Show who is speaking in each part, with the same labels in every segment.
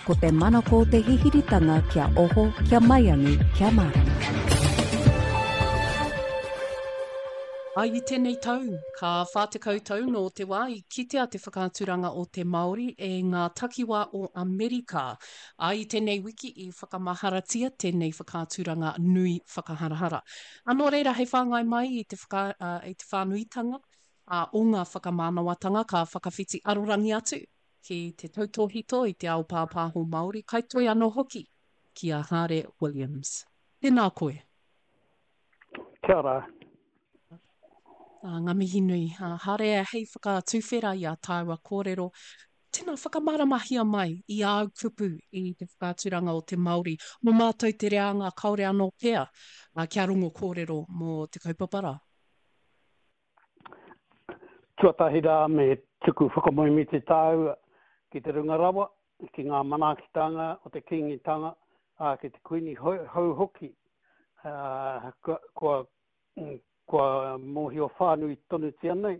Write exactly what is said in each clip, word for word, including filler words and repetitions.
Speaker 1: Ko te manako o te hihiritanga kia oho, kia maiangi, kia mārama.
Speaker 2: Ai i tēnei tau, ka whā tekau tau nō te wā i kitea te whakaaturanga o te Māori e ngā takiwā o Amerika. Ā, i tēnei wiki i whakamaharatia tēnei whakaaturanga nui whakaharahara. Ā, nō reira hei whāngai mai i te whaka, ā, i te whānuitanga, ā, o ngā whakamānawatanga ka whakawhiti arorangi atu ki te tautōhito i te ao pāpāho Māori, kaitoi anō hoki ki a Hāre Williams. Tēnā koe.
Speaker 3: Kia ora.
Speaker 2: Ā, ngā mihi nui. Ā, Hāre, hei whakatuwhera i ā tāua kōrero, tēnā whakamāramahia mai i āu kupu i te whakaaturanga o te Māori, mō mātou te reanga kāore anō pea ā, kia rongo kōrero mō te kaupapa rā.
Speaker 3: Tuatahi rā me tuku whakamoemiti tāua ki te runga rawa, ki ngā manaakitanga o te Kīngitanga, ā, ki te Kuini hou hoki, ā, kua, kua Kua mōhio whānui tonutia nei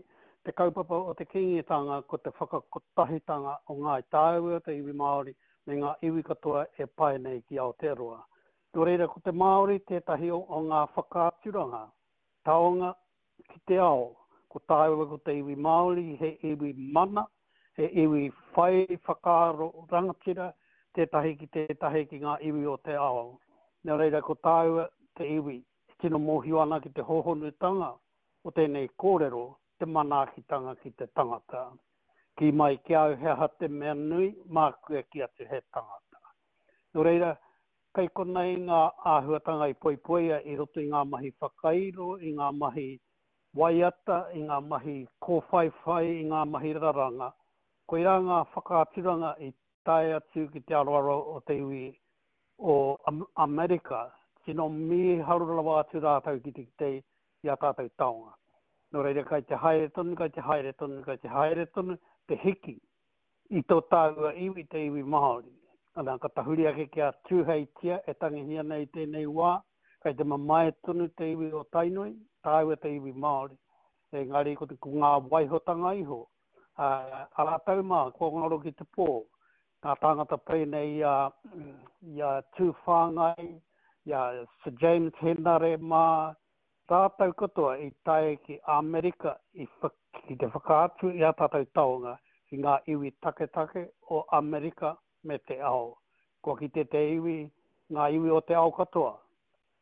Speaker 3: te kaupapa o te Kīngitanga ko te whakakotahitanga o Ngāi Tāua, te iwi Māori, me ngā iwi katoa e pae nei ki Aotearoa. Nō reira ko te Māori tētahi o ngā whakaaturanga taonga ki te ao. Ko tāua ko te iwi Māori he iwi mana, he iwi whai whakaaro rangatira tētahi ki tētahi ki ngā iwi o te ao. Nō reira ko tāua te iwi E tino mōhio ana ki te hōhonutanga o tēnei kōrero, te manaakitanga ki te tangata. Kī mai ki a au he aha te mea nui, māku e kī atu he tangata. Nō reira, kei konei ngā āhuatanga i poipoia i roto i ngā mahi whakairo, i ngā mahi waiata, i ngā mahi kōwhaiwhai, i ngā mahi raranga. Koirā ngā whakaaturanga i tae atu ki te aroaro o te iwi o Amerika, tino mīharo rawa atu rātou ki te kite i ā tātou taonga. Nō reira, kai te haere tonu, kai te haere tonu, kai te haere tonu te hiki i tō tāua iwi, te iwi Māori. Ana, ka tahuri ake ki a Tūheitia e tangihia nei i tēnei wā, kai te mamae tonu te iwi o Tainui, tāua te iwi Māori. Engari ko, te, ko ngā waihotanga iho, a, a rātou mā, kua ngaro ki te pō, ngā tāngata pēnei i a, i a Tūwhāngai, i a Sir James Henare mā, rātou katoa i tae ki Āmerika i, ki te whakaatu i ā tātou taonga ki ngā iwi taketake o Amerika me te ao. Kua kite te iwi, ngā iwi o te ao katoa,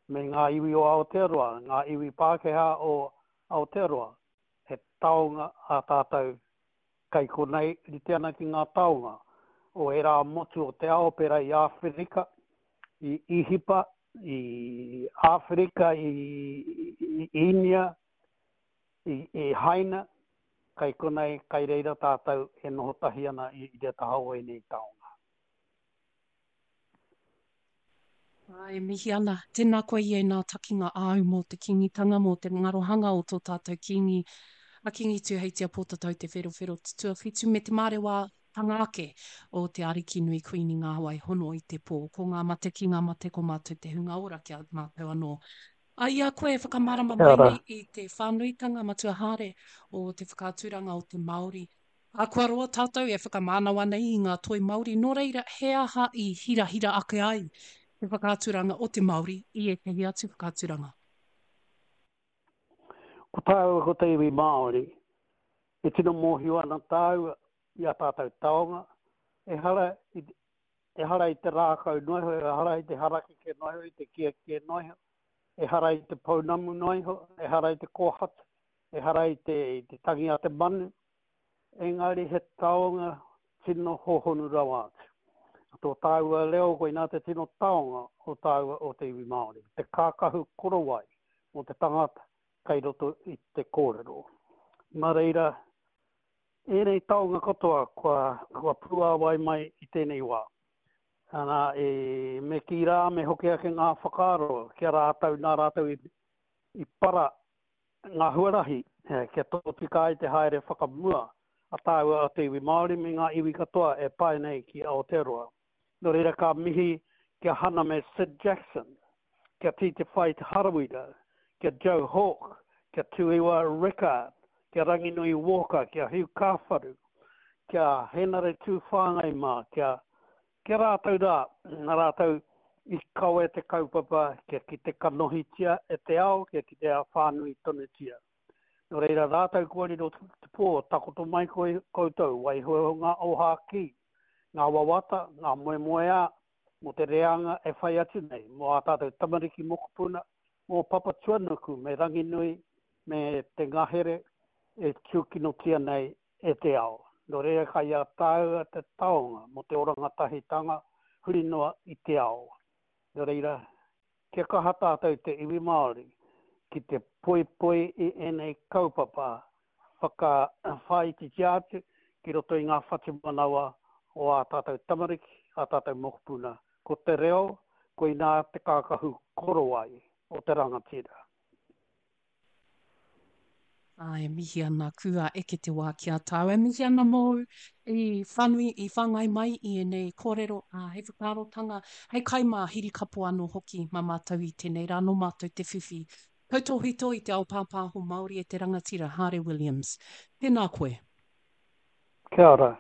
Speaker 3: me ngā iwi o Aotearoa, ngā iwi Pākehā o Aotearoa, he taonga ā tātou Kei konei rite ana ki ngā taonga o ērā motu o te ao pērā i Āwherika, i Īhipa, i Āwherika, i Īnia, i Haina, kei konei, kei reira tātou e noho tahi ana i te taha o ēnei taonga.
Speaker 2: Ā, e mihi ana. Tēnā koe i ēnā takinga āu mō te Kīngitanga, mō te ngarohanga o tō tātou Kīngi, a Kīngi Tūheitia Pōtatau Te Wherowhero Te Tuawhitu me te mārewatanga ake o te Arikinui Kuini Ngāwai Hono i te Pō. Ko ngā mate ki ngā mate ko mātou te hunga ora ki a mātou anō. Ā, i a koe e whakamārama mai nei i te whānuitanga matua haere o te whakaaturanga o te Māori, Ā, kua roa tātou e whakamānawa nei i ngā toi Māori, nō reira, he aha i hirahira ake ai te whakaaturanga o te Māori i ētahi atu whakaaturanga?
Speaker 3: Ko tāua ko te iwi Māori, e tino mōhio ana tāua i ā tātou taonga, ehara i, ehara i te rākau noa iho, ehara i te harakeke noa iho, i te kiekie noa iho, ehara i te pounamu noa iho, ehara i te kōhatu, ehara i te, i te tangi a te manu, Engari he taonga tino hōhonu rawa atu. Tō tāua reo koinā te tino taonga o tāua o te iwi Māori, te kākahu korowai mō te tangata kei roto i te kōrero. Nā reira, ēnei taonga katoa kua, kua puāwai mai i tēnei wā. Ana, e, me kī rā, me hoki ake ngā whakaaro ki a rātou, nā rātou i, i para ngā huarahi kia tōtika ai te haere whakamua a tāua a te iwi Māori me ngā iwi katoa e pae nei ki Aotearoa. Nō reira ka mihi ki a Hana me Syd Jackson, ki a Tītewhai Te Harawira, ki a Joe Hawke, ki a Tuiwa Rickard, ki a Ranginui Walker, ki a Hugh Kāwharu, ki a Henare Tūwhāngai mā, ki a Ki a rātou rā, nā rātou i kawe te kaupapa kia kite kanohitia e te ao, kia kitea whānui tonutia. Nō reira rātou kua riro te pō, takoto mai koe koutou, waiho ngā ōhākī, ngā wawata, ngā moemoeā mō te reanga e whai atu nei, mō ā tātou tamariki mokopuna, mō Papatuanuku me Ranginui me te ngahere e tūkinotia nei e te ao. Nō reira kai a tāua te taonga mō te oranga tahitanga huri noa i te ao. Nō reira, kia kaha tātou te iwi Māori ki te poipoi i ēnei kaupapa whakawhāititia atu ki roto i ngā whatumanawa o ā tātou tamariki, ā tātou mokopuna. Ko te reo, koinā te kākahu korowai o te rangatira.
Speaker 2: Ā, e mihi ana kua eke te wā ki a tāu. E mihi ana mōu i whanui, i whāngai mai i ēnei kōrero, ā, hei whakaarotanga, hei kai mā hirikapo anō hoki mā mātou i tēnei rā, nō mātou te whiwhi tautōhito i te ao pāpāho Māori e te rangatira Haare Williams. Tēnā koe.
Speaker 3: Kia ora.